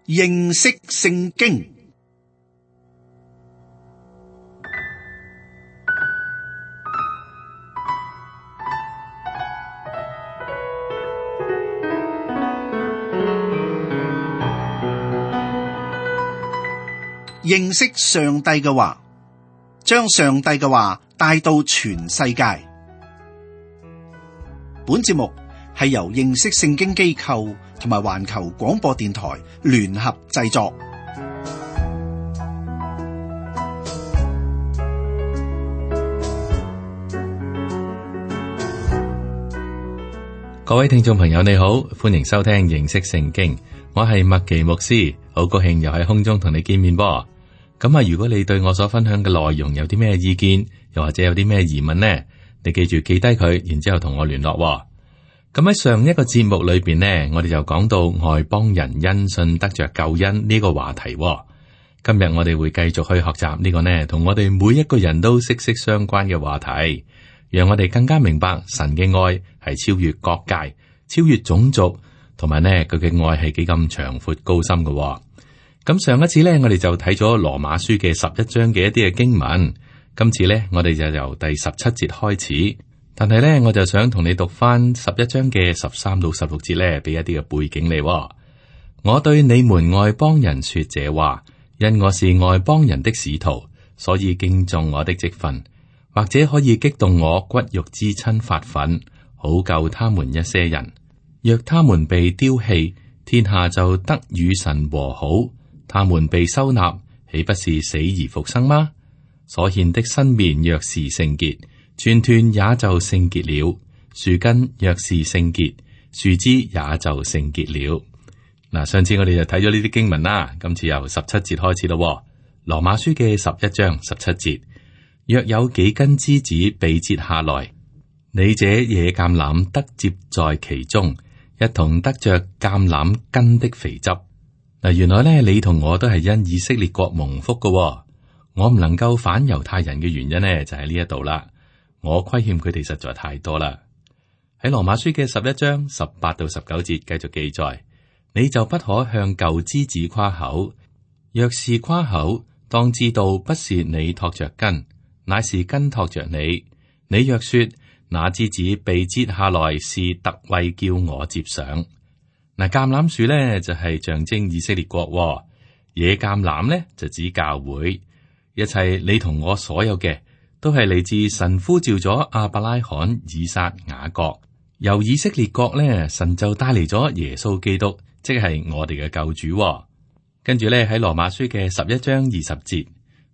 認識聖經。認識上帝嘅話，將上帝嘅話帶到全世界。本節目係由認識聖經機構同埋環球廣播電台聯合製作。各位聽眾朋友你好，歡迎收聽認識聖經，我係麥奇牧師，好高興又喺空中同你見面噃。咁啊，如果你對我所分享嘅內容有啲咩意見，又或者有啲咩疑問呢，你記住記低佢，然之後同我聯絡。咁喺上一個節目裏邊呢，我哋就講到外邦人因信得着救恩呢個話題。今日我哋會繼續去學習呢個呢，同我哋每一個人都息息相關嘅話題，讓我哋更加明白神嘅愛係超越各界、超越種族，同埋呢佢嘅愛係幾咁長闊高深嘅。咁上一次呢，我哋就睇咗羅馬書嘅11章嘅一啲嘅經文。今次呢，我哋就由第17節開始。但係呢，我就想同你讀翻11章嘅13到16節呢，俾一啲嘅背景你。我對你們外邦人說這話，因我是外邦人的使徒，所以敬重我的職分，或者可以激動我骨肉之親發憤，好救他們一些人。若他們被丟棄，天下就得與神和好。他們被收納，豈不是死而復生嗎？所獻的新麵若是聖潔，全團也就聖潔了。樹根若是聖潔，樹枝也就聖潔了。嗱，上次我哋就睇咗呢啲經文啦，今次由17節開始咯。羅馬書嘅11章17節，若有幾根枝子被折下來，你這野橄欖得接在其中，一同得着橄欖根的肥汁。嗱，原來咧，你同我都係因以色列國蒙福嘅。我唔能夠反猶太人嘅原因呢，就喺呢一度啦。我虧欠佢哋實在太多啦。喺羅馬書嘅11章18到19節繼續記載，你就不可向舊枝子誇口，若是誇口，當知道不是你托着根，乃是根托着你。你若說那枝子被折下來是特為叫我接上。嗱，橄欖樹咧就係象徵以色列國，野橄欖咧就指教會。一切你同我所有嘅，都係嚟自神呼召咗亞伯拉罕、以撒、雅各，由以色列國咧，神就帶嚟咗耶穌基督，即係我哋嘅救主。跟住咧喺羅馬書嘅11章20節，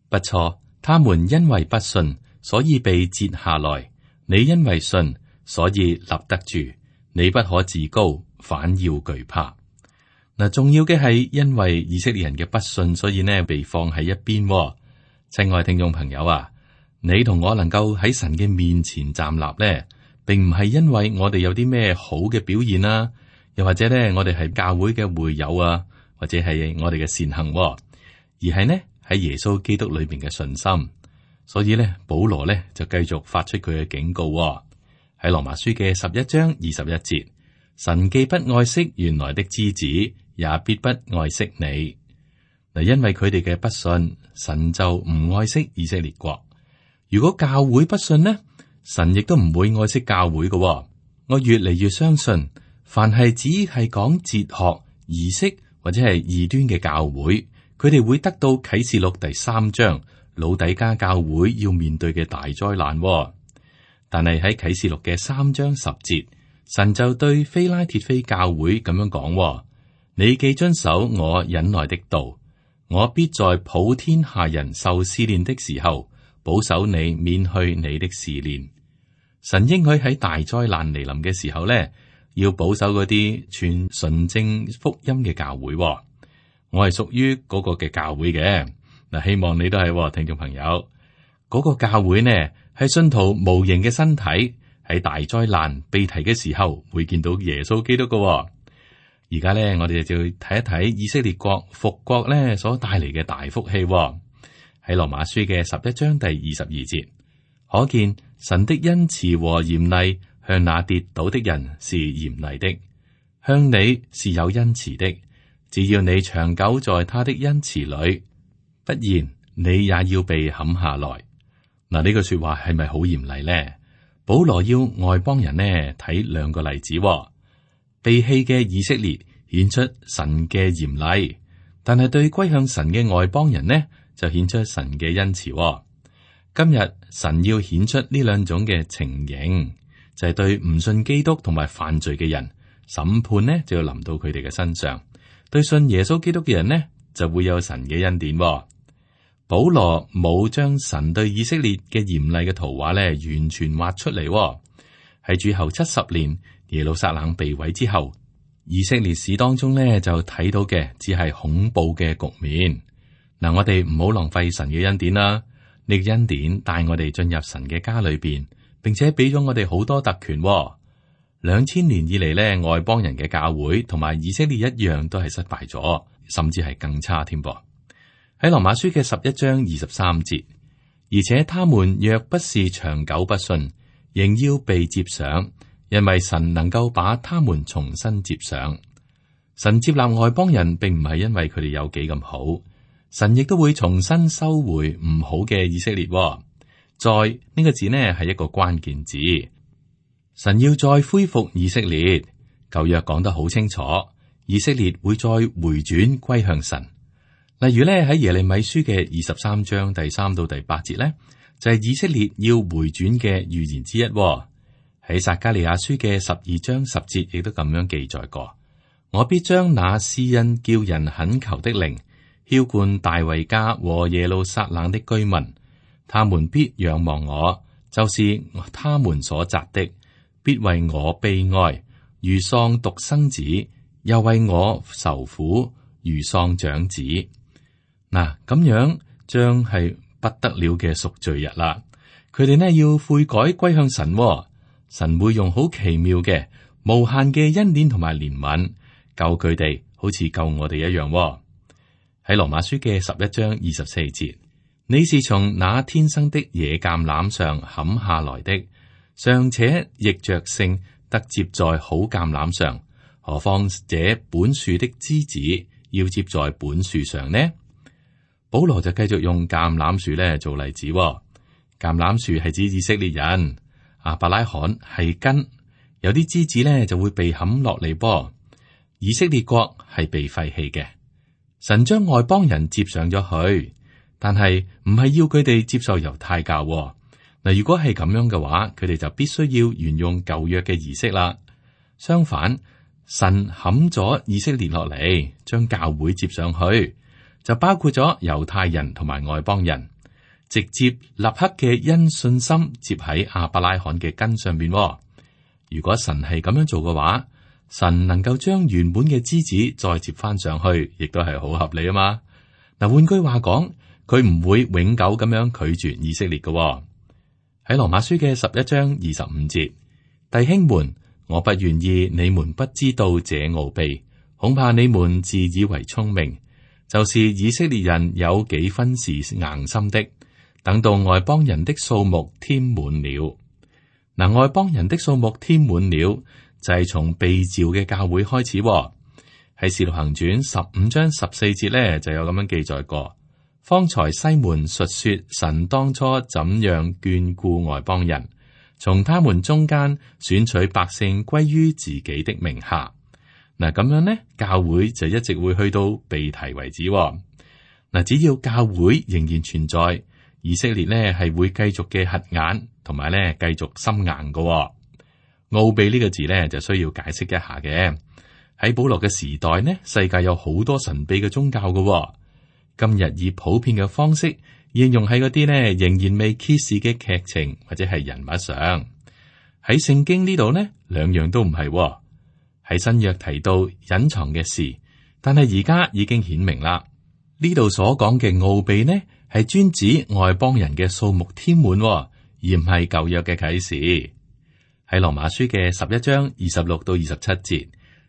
不錯，他們因為不信，所以被折下來；你因為信，所以立得住。你不可自高，反要懼怕。嗱，重要嘅係因為以色列人嘅不信，所以呢被放喺一邊。親愛聽眾朋友啊，你同我能夠喺神嘅面前站立呢，並唔係因為我哋有啲咩好嘅表現啊，又或者呢我哋係教會嘅會友啊，或者係我哋嘅善行，而係呢喺耶穌基督裏邊嘅信心。所以呢，保羅呢就繼續發出佢嘅警告。喺羅馬書嘅11章21節，神既不愛惜原來的枝子，也必不愛惜你。嗱，因為佢哋嘅不信，神就唔愛惜以色列國。如果教會不信呢，神亦都唔會愛惜教會嘅。我越嚟越相信，凡係只係講哲學、儀式或者係異端嘅教會，佢哋會得到啟示錄第3章老底嘉教會要面對嘅大災難。但係喺啟示錄嘅3章10節，神就對非拉鐵非教會咁樣講：你既遵守我忍耐的道，我必在普天下人受試煉的時候，保守你免去你的試煉。神應許喺大災難嚟臨嘅時候呢，要保守嗰啲傳純正福音嘅教會。我係屬於嗰個嘅教會嘅。嗱，希望你都係聽眾朋友。嗰個教會呢，係信徒無形嘅身體，喺大災難被提嘅時候會見到耶穌基督嘅。而家咧，我哋就要睇一睇以色列國復國咧所帶嚟嘅大福氣。喺羅馬書嘅11章第22節，可見神的恩慈和嚴厲向那跌倒的人是嚴厲的，向你是有恩慈的，只要你長久在他的恩慈裏，不然你也要被砍下來。嗱，呢句說話係咪好嚴厲呢？保羅要外邦人呢睇兩個例子，被棄嘅以色列顯出神嘅嚴厲，但係對歸向神嘅外邦人呢就顯出神嘅恩慈。今日神要顯出呢兩種嘅情形，就係對唔信基督同埋犯罪嘅人，審判呢就要臨到佢哋嘅身上；對信耶穌基督嘅人呢，就會有神嘅恩典。保羅冇將神對以色列嘅嚴厲嘅圖畫咧完全畫出嚟。喺主後70年耶路撒冷被毀之後，以色列史當中咧就睇到嘅只係恐怖嘅局面。嗱，我哋唔好浪費神嘅恩典啦。呢個恩典帶我哋進入神嘅家裏邊，並且俾咗我哋好多特權。2000年以嚟咧，外邦人嘅教會同埋以色列一樣都係失敗咗，甚至係更差添噃。喺羅馬書嘅11章23節，而且他們若不是長久不信，仍要被接上，因為神能夠把他們重新接上。神接納外邦人，並唔係因為佢哋有幾咁好，神亦都會重新收回唔好嘅以色列。再呢個字呢係一個關鍵字，神要再恢復以色列。舊約講得好清楚，以色列會再回轉歸向神。例如咧喺耶利米書嘅23章第3到第8節咧，就係以色列要回轉嘅預言之一。喺撒迦利亞書嘅12章10節亦都咁樣記載過：我必將那施恩叫人懇求的靈澆灌大衛家和耶路撒冷的居民，他們必仰望我，就是他們所扎的，必為我悲哀，如喪獨生子，又為我愁苦，如喪長子。嗱，咁樣將係不得了嘅贖罪日啦。佢哋呢要悔改歸向神，神會用好奇妙嘅無限嘅恩典同埋憐憫救佢哋，好似救我哋一樣。喺羅馬書嘅11章24節，你是從那天生的野橄欖上砍下來的，尚且逆着性得接在好橄欖上，何況這本樹的枝子要接在本樹上呢？保羅就繼續用橄欖樹咧做例子。橄欖樹係指以色列人，亞伯拉罕係根，有啲枝子咧就會被砍落嚟噃。以色列國係被廢棄嘅，神將外邦人接上咗去，但係唔係要佢哋接受猶太教。嗱，如果係咁樣嘅話，佢哋就必須要沿用舊約嘅儀式啦。相反，神砍咗以色列落嚟，將教會接上去，就包括咗猶太人同埋外邦人，直接立刻嘅因信心接喺亞伯拉罕嘅根上邊。如果神係咁樣做嘅話，神能夠將原本嘅枝子再接翻上去，亦都係好合理啊嘛。嗱，換句話講，佢唔會永久咁樣拒絕以色列嘅。喺羅馬書嘅11章25節，弟兄們，我不願意你們不知道這奧秘，恐怕你們自以為聰明。就是以色列人有幾分是硬心的，等到外邦人的數目添滿了。嗱，外邦人的數目添滿了，就係從被召嘅教會開始。喺使徒行傳15章14節咧，就有咁樣記載過。方才西門述說神當初怎樣眷顧外邦人，從他們中間選取百姓歸於自己的名下。嗱，咁樣呢，教會就一直會去到被提為止。嗱，只要教會仍然存在，以色列呢係會繼續嘅瞎眼，同埋呢繼續心硬嘅。奧秘呢個字呢就需要解釋一下嘅。喺保羅嘅時代呢，世界有好多神秘嘅宗教嘅。今日以普遍嘅方式應用喺嗰啲呢仍然未揭示嘅劇情或者係人物上。喺聖經呢度呢，兩樣都唔係。喺新約提到隱藏嘅事，但係而家已經顯明啦。呢度所講嘅奧秘呢，係專指外邦人嘅數目添滿，而唔係舊約嘅啟示。喺羅馬書嘅11章26到27節，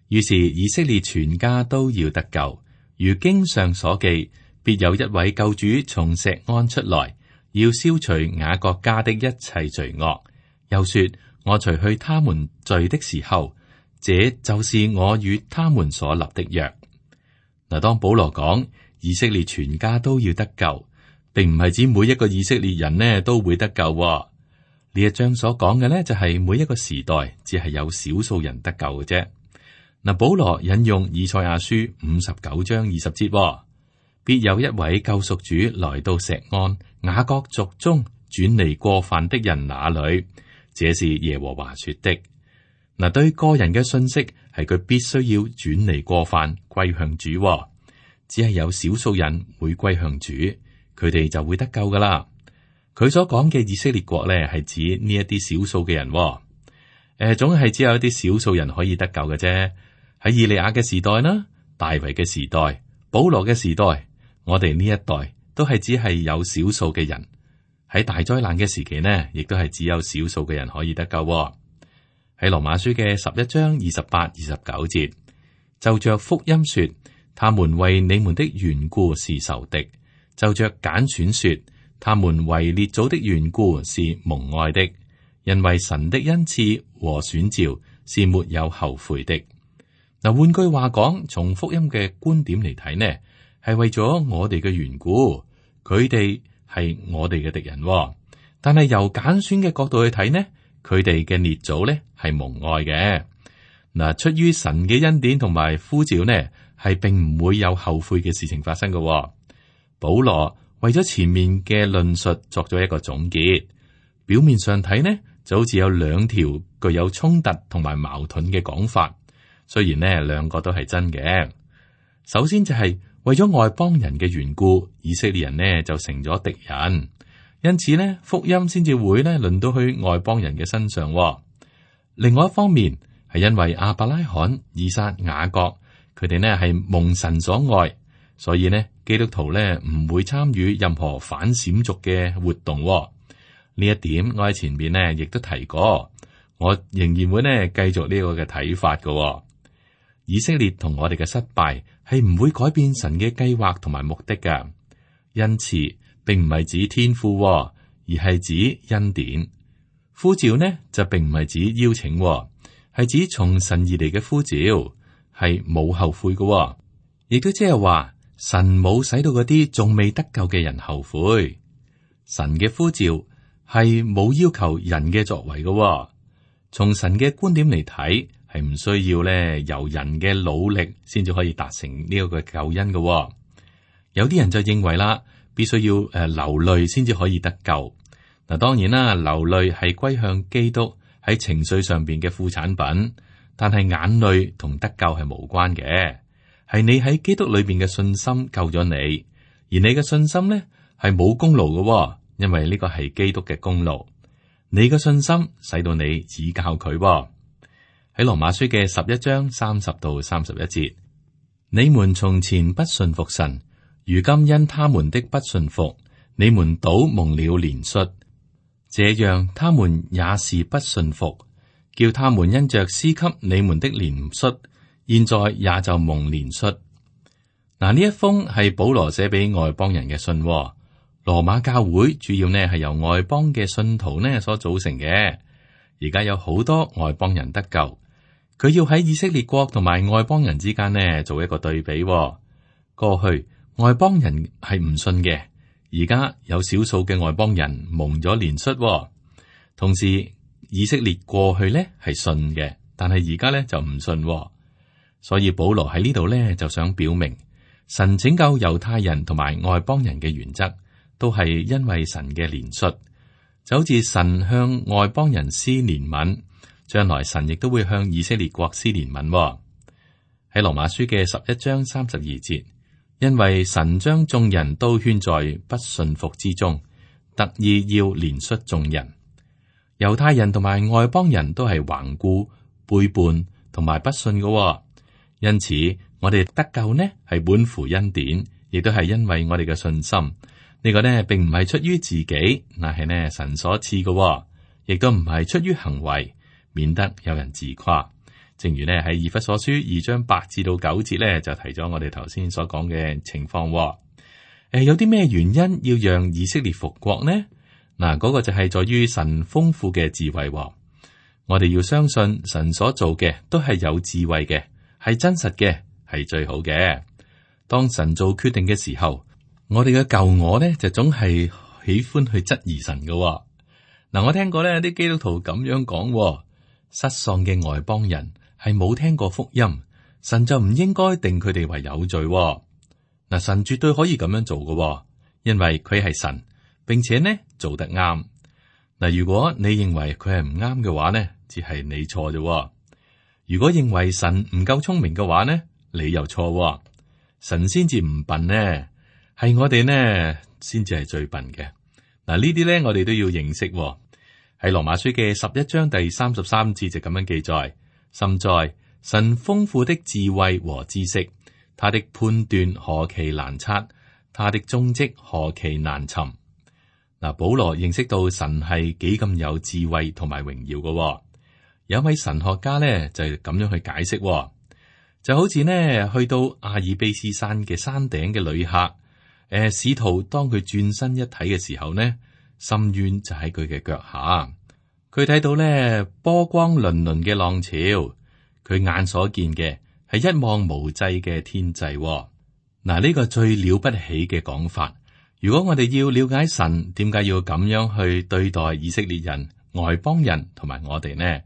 於是以色列全家都要得救，如經上所記，必有一位救主從錫安出來，要消除雅各家的一切罪惡。又說，我除去他們罪的時候，這就是我與他們所立的約。嗱，當保羅講以色列全家都要得救，並唔係指每一個以色列人呢都會得救。呢一章所講嘅呢，就係每一個時代只係有少數人得救嘅啫。嗱，保羅引用以賽亞書59章20節，必有一位救贖主來到錫安雅各族中，轉離過犯的人那裏，這是耶和華說的。嗱，對個人嘅信息係佢必須要轉離過犯，歸向主。只係有少數人會歸向主，佢哋就會得救噶啦。佢所講嘅以色列國咧，係指呢一啲少數嘅人。總係只有一啲少數人可以得救嘅啫。喺以利亞嘅時代啦，大衛嘅時代，保羅嘅時代，我哋呢一代都係只係有少數嘅人。喺大災難嘅時期呢，亦都係只有少數嘅人可以得救。喺羅馬書嘅11章28、29節，就着福音說，他們為你們的緣故是仇敵；就着揀選說，他們為列祖的緣故是蒙愛的。因為神的恩賜和選召是沒有後悔的。嗱，換句話講，從福音嘅觀點嚟睇呢，係為咗我哋嘅緣故，佢哋係我哋嘅敵人。但係由揀選嘅角度去睇呢，佢哋嘅列祖呢係蒙愛嘅。嗱，出於神嘅恩典同埋呼召呢，係並唔會有後悔嘅事情發生嘅。保羅為咗前面嘅論述作咗一個總結，表面上睇呢就好似有兩條具有衝突同埋矛盾嘅講法。雖然呢兩個都係真嘅。首先就係為咗外邦人嘅緣故，以色列人呢就成咗敵人，因此呢福音先至會呢輪到去外邦人嘅身上。另外一方面係因為亞伯拉罕、以撒、雅各佢哋呢係蒙神所愛，所以呢基督徒呢唔會參與任何反閃族嘅活動。呢一點我喺前面呢亦都提過，我仍然會呢繼續呢個嘅睇法嘅。以色列同我哋嘅失敗係唔會改變神嘅計劃同埋目的㗎。恩賜並唔係指天賦，而係指恩典。呼召呢就並唔係指邀請，係指從神而嚟嘅呼召，係冇後悔嘅。亦都即係話神冇使到嗰啲仲未得救嘅人後悔。神嘅呼召係冇要求人嘅作為嘅。從神嘅觀點嚟睇，係唔需要咧由人嘅努力先至可以達成呢一個救恩嘅。有啲人就認為啦，必須要流淚先至可以得救。嗱，當然啦，流淚係歸向基督喺情緒上邊嘅副產品，但係眼淚同得救係無關嘅，係你喺基督裏邊嘅信心救咗你，而你嘅信心呢係冇功勞嘅，因為呢個係基督嘅功勞。你嘅信心使到你指教佢。喺羅馬書嘅11章30到31節，你們從前不信服神，如今因他們的不信服，你們倒蒙了憐恤。這樣他們也是不信服，叫他們因着施給你們的憐恤，現在也就蒙憐恤。嗱，呢一封係保羅寫俾外邦人嘅信。羅馬教會主要呢係由外邦嘅信徒呢所組成嘅。而家有好多外邦人得救，佢要喺以色列國同埋外邦人之間呢做一個對比。過去外邦人係唔信嘅，而家有少數嘅外邦人蒙咗憐恤。同時以色列過去呢係信嘅，但係而家呢就唔信。所以保羅喺呢度呢就想表明，神拯救猶太人同埋外邦人嘅原則，都係因為神嘅憐恤。就好似神向外邦人施憐憫，將來神亦都會向以色列國施憐憫。喺羅馬書嘅11章32節，因為神將眾人都圈在不信服之中，特意要憐恤眾人。猶太人同埋外邦人都係頑固、背叛同埋不信嘅，因此我哋得救呢係本乎恩典，亦都係因為我哋嘅信心。呢個呢，並唔係出於自己，乃係呢神所賜嘅，亦都唔係出於行為，免得有人自誇。正如呢喺以弗所書2章8至到9節呢，就提咗我哋頭先所講嘅情況。有啲咩原因要讓以色列復國呢？嗱，嗰個就係在於神豐富嘅智慧。我哋要相信神所做嘅都係有智慧嘅，係真實嘅，係最好嘅。當神做決定嘅時候，我哋嘅舊我呢就總係喜歡去質疑神嘅。嗱，我聽過呢啲基督徒咁樣講，失喪嘅外邦人係冇聽過福音，神就唔應該定佢哋為有罪。嗱，神絕對可以咁樣做嘅，因為佢係神，並且呢做得啱。嗱，如果你認為佢係唔啱嘅話呢，只係你錯啫。如果認為神唔夠聰明嘅話呢，你又錯。神先至唔笨呢，係我哋呢先至係最笨嘅。嗱，呢啲呢我哋都要認識。喺羅馬書嘅11章第33節就咁樣記載：深在神豐富的智慧和知識，他的判斷何其難測，他的蹤跡何其難尋。嗱，保羅認識到神係幾咁有智慧同埋榮耀嘅。有一位神學家呢就咁樣去解釋，就好似呢去到阿爾卑斯山嘅山頂嘅旅客，使徒當佢轉身一睇嘅時候呢，深淵就喺佢嘅腳下，佢睇到呢波光粼粼嘅浪潮，佢眼所見嘅係一望無際嘅天際。嗱，呢個最了不起嘅講法。如果我哋要了解神點解要咁樣去對待以色列人、外邦人同埋我哋呢，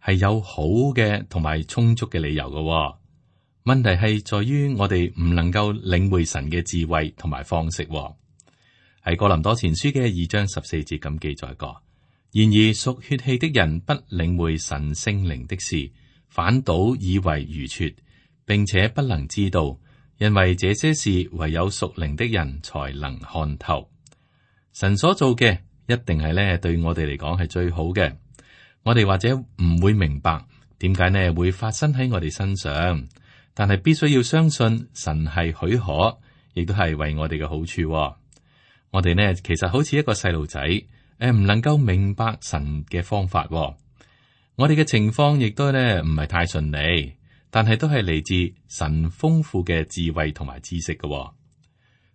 係有好嘅同埋充足嘅理由嘅。問題係在於我哋唔能夠領會神嘅智慧同埋方式。喺哥林多前書嘅2章14節咁記載過。然而屬血氣的人不領會神聖靈的事，反倒以為愚拙，並且不能知道，因為這些事唯有屬靈的人才能看透。神所做嘅一定係咧對我哋嚟講係最好嘅。我哋或者唔會明白點解呢會發生喺我哋身上，但係必須要相信神係許可，亦都係為我哋嘅好處。我哋呢其實好似一個細路仔，唔能夠明白神嘅方法。我哋嘅情況亦都呢唔係太順利，但係都係嚟自神豐富嘅智慧同埋知識嘅。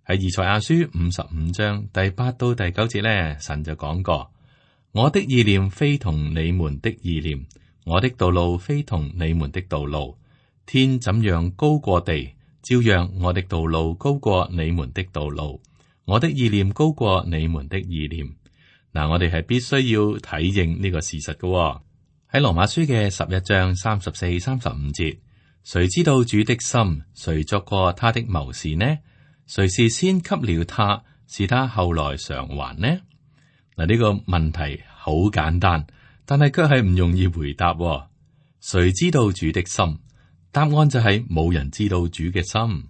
喺以賽亞書55章第8到第9節呢，神就講過：我的意念非同你們的意念，我的道路非同你們的道路。天怎樣高過地，照樣我的道路高過你們的道路，我的意念高過你們的意念。嗱，我哋係必須要體認呢個事實嘅。喺羅馬書嘅11章34、35節，誰知道主的心？誰作過他的謀士呢？誰是先給了他，是他後來償還呢？嗱，呢個問題好簡單，但係卻係唔容易回答。誰知道主的心？答案就係冇人知道主嘅心。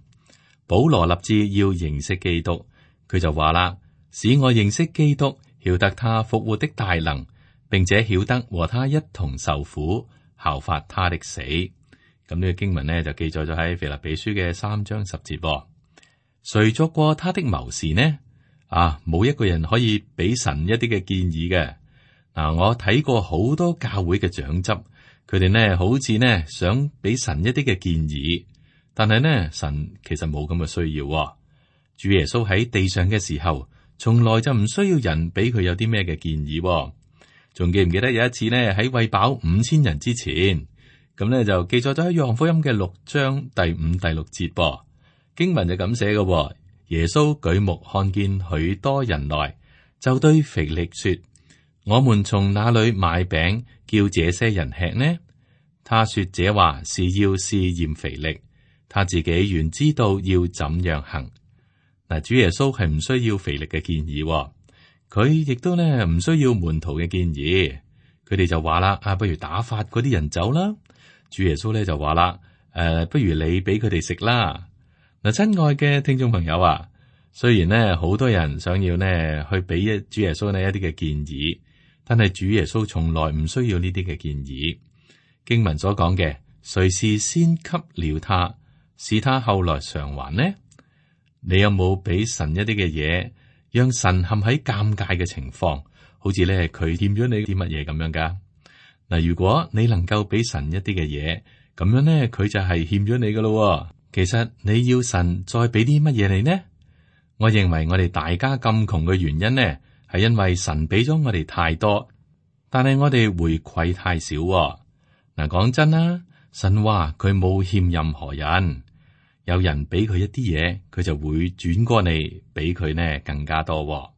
保羅立志要認識基督，佢就話啦：使我認識基督，曉得他復活的大能，並且曉得和他一同受苦，效法他的死。咁呢個經文呢，就記載咗喺腓立比書嘅3章10節。誰作過他的謀士呢？冇一個人可以俾神一啲嘅建議嘅。我睇過好多教會嘅長執，佢哋呢好似呢想俾神一啲嘅建議，但係呢神其實冇咁嘅需要。主耶穌喺地上嘅時候，從來就唔需要人俾佢有啲咩嘅建議。仲記唔記得有一次呢喺餵飽5000人之前，咁呢就記載咗喺約翰福音嘅6章第5、第6節噃。經文就咁寫嘅。耶穌舉目看見許多人來，就對腓力說：我們從哪裏買餅叫這些人吃呢？他說這話是要試驗腓力，他自己原知道要怎樣行。嗱，主耶穌係唔需要腓力嘅建議，佢亦都呢唔需要門徒嘅建議。佢哋就話啦：不如打發嗰啲人走啦。主耶穌咧就話啦：不如你俾佢哋食啦。嗱，親愛嘅聽眾朋友啊，雖然呢好多人想要呢去俾主耶穌呢一啲嘅建議，但係主耶穌從來唔需要呢啲嘅建議。經文所講嘅，誰是先給了他，是他後來償還呢？你有冇俾神一啲嘅嘢，讓神陷喺尷尬嘅情況，好似咧佢欠咗你啲乜嘢咁樣噶？嗱，如果你能夠俾神一啲嘅嘢，咁樣呢，佢就係欠咗你噶咯。其實你要神再俾啲乜嘢你呢？我認為我哋大家咁窮嘅原因呢，係因為神俾咗我哋太多，但係我哋回饋太少。嗱，講真啦，神話佢冇欠任何人，有人俾佢一啲嘢，佢就會轉過嚟俾佢呢更加多。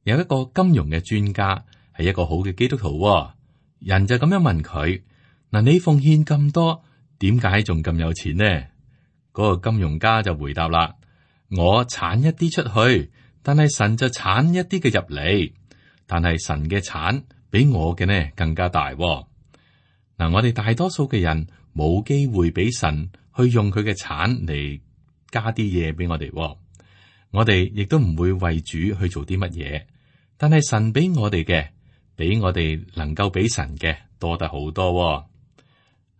有一個金融嘅專家係一個好嘅基督徒，人就咁樣問佢：嗱，你奉獻咁多，點解仲咁有錢呢？嗰個金融家就回答啦：我產一啲出去，但係神就產一啲嘅入嚟，但係神嘅產比我嘅呢更加大。嗱，我哋大多數嘅人冇機會俾神去用佢嘅產嚟加啲嘢俾我哋，我哋亦都唔會為主去做啲乜嘢。但係神俾我哋嘅，比我哋能夠俾神嘅多得好多。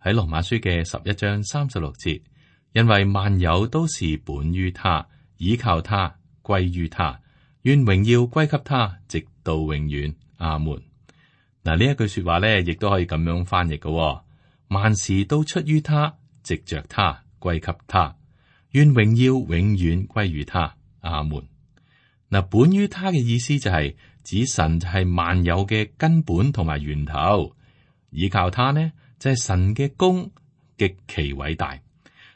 喺羅馬書嘅11章36節，因為萬有都是本於他，倚靠他，歸於他，願榮耀歸給他，直到永遠。阿門。嗱，呢一句說話咧，亦都可以咁樣翻譯嘅。萬事都出於他，藉着他，歸給他，願榮耀永遠歸於他。阿門。嗱，本於他嘅意思就係指神就係萬有嘅根本同埋源頭，倚靠他呢就係神嘅功極其偉大。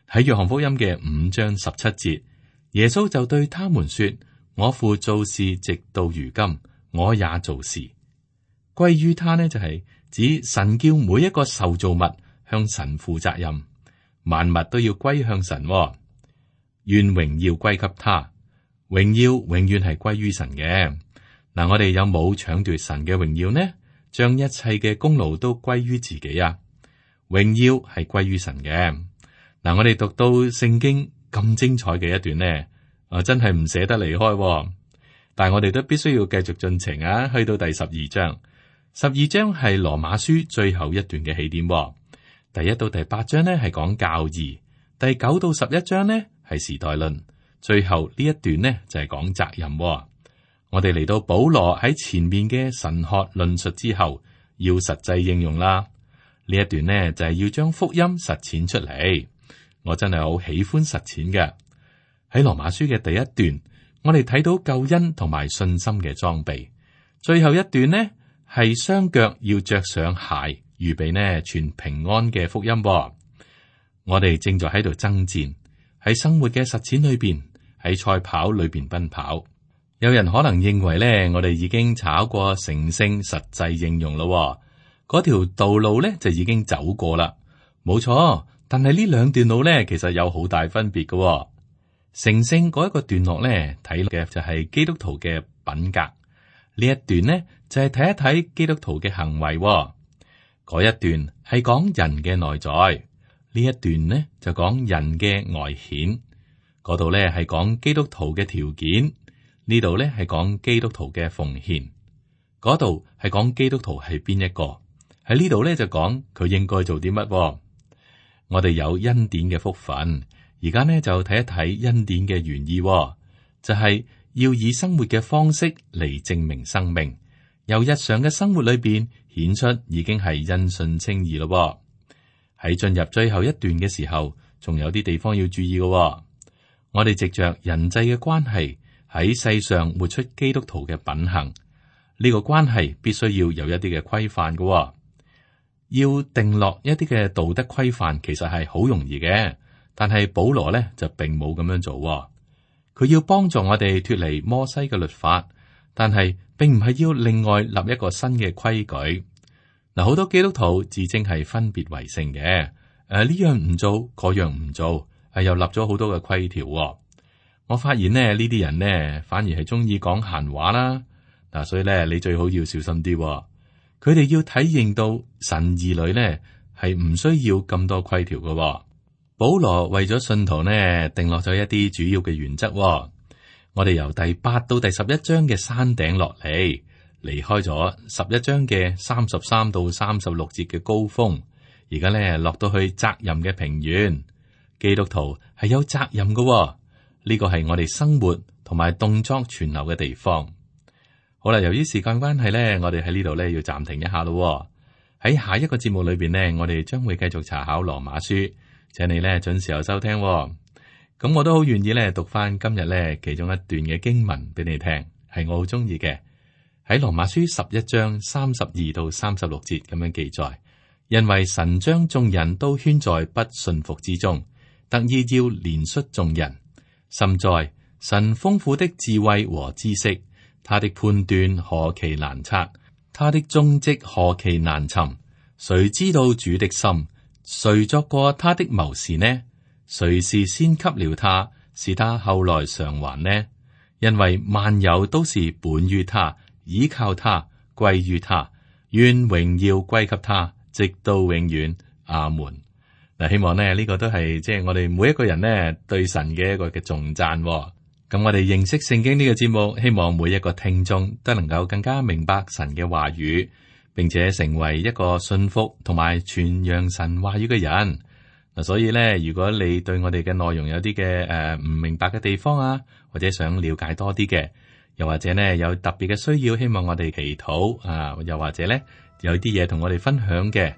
喺約翰福音嘅5章17節，耶穌就對他們說：我父做事直到如今，我也做事。歸於他呢就係指神叫每一個受造物向神負責任，萬物都要歸向神。願榮耀歸給他，榮耀永遠係歸於神嘅。嗱，我哋有冇搶奪神嘅榮耀呢？將一切嘅功勞都歸於自己啊？榮耀係歸於神嘅。嗱，我哋讀到聖經咁精彩嘅一段呢，真係唔捨得離開。但係我哋都必須要繼續進程啊，去到第12章。12章係羅馬書最後一段嘅起點。第1到第8章呢係講教義，第9到11章呢係時代論，最後呢一段呢就係講責任。我哋嚟到保羅喺前面嘅神學論述之後，要實際應用啦。呢一段呢就係要將福音實踐出嚟。我真係好喜歡實踐嘅。喺羅馬書嘅第一段，我哋睇到救恩同埋信心嘅裝備。最後一段呢係雙腳要着上鞋，預備呢傳平安嘅福音。我哋正在喺度爭戰，喺生活嘅實踐裏邊，喺賽跑裏邊奔跑。有人可能認為呢，我哋已經炒過成聖實際應用咯，嗰條道路呢就已經走過啦。冇錯，但係呢兩段路呢，其實有好大分別嘅。成聖嗰一個段落呢，睇嘅就係基督徒嘅品格。呢一段呢，就係睇一睇基督徒嘅行為。嗰一段係講人嘅內在，呢一段呢就講人嘅外顯。嗰度呢係講基督徒嘅條件，呢度呢係講基督徒嘅奉獻。嗰度係講基督徒係邊一個，喺呢度呢就講佢應該做啲乜。我哋有恩典嘅福分，而家呢就睇一睇恩典嘅原意，就係要以生活嘅方式嚟證明生命，由日常嘅生活裏邊顯出已經係因信稱義咯。喺進入最後一段嘅時候，仲有啲地方要注意嘅。我哋藉着人際嘅關係喺世上活出基督徒嘅品行，呢個關係必須要有一啲嘅規範嘅。要定落一啲嘅道德規範，其實係好容易嘅，但係保羅呢就並冇咁樣做。佢要幫助我哋脫離摩西嘅律法，但係並唔係要另外立一個新嘅規矩。嗱，好多基督徒自稱係分別為聖嘅，呢樣唔做，嗰樣唔做，又立咗好多嘅規條。我發現呢啲人呢，反而係中意講閒話啦。嗱，所以咧，你最好要小心啲。佢哋要體認到神兒女呢係唔需要咁多規條嘅。保羅為咗信徒呢定落咗一啲主要嘅原則。我哋由第8到第11章嘅山頂落嚟，離開咗11章嘅33到36節嘅高峰，而家呢落到去責任嘅平原。基督徒係有責任嘅，呢個係我哋生活同埋動作存留嘅地方。好啦，由於時間關係呢，我哋喺呢度呢要暫停一下咯。喺下一個節目裏邊呢，我哋將會繼續查考羅馬書，請你呢準時候收聽。咁我都好願意呢讀翻今日呢其中一段嘅經文俾你聽，係我好中意嘅。喺羅馬書11章32到36節咁樣記載，因為神將眾人都圈在不信服之中，特意要憐恤眾人。深在神豐富的智慧和知識，他的判斷何其難測，他的蹤跡何其難尋。誰知道主的心？誰作過他的謀士呢？誰是先給了他，使他後來償還呢？因為萬有都是本於他，倚靠他，歸於他，願榮耀歸給他，直到永遠。阿門。嗱，希望呢個都係即係我哋每一個人呢對神嘅一個嘅頌讚。咁我哋認識聖經呢個節目，希望每一個聽眾都能夠更加明白神嘅話語，並且成為一個信服同埋傳揚神話語嘅人。嗱，所以咧，如果你對我哋嘅內容有啲嘅唔明白嘅地方啊，或者想了解多啲嘅，又或者呢有特別嘅需要，希望我哋祈禱啊，又或者咧有啲嘢同我哋分享嘅，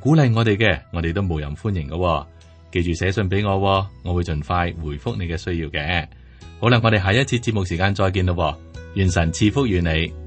鼓勵我哋嘅，我哋都無任歡迎嘅。記住寫信俾我，我會盡快回覆你嘅需要嘅。好啦，我哋下一次節目時間再見咯，願神賜福於你。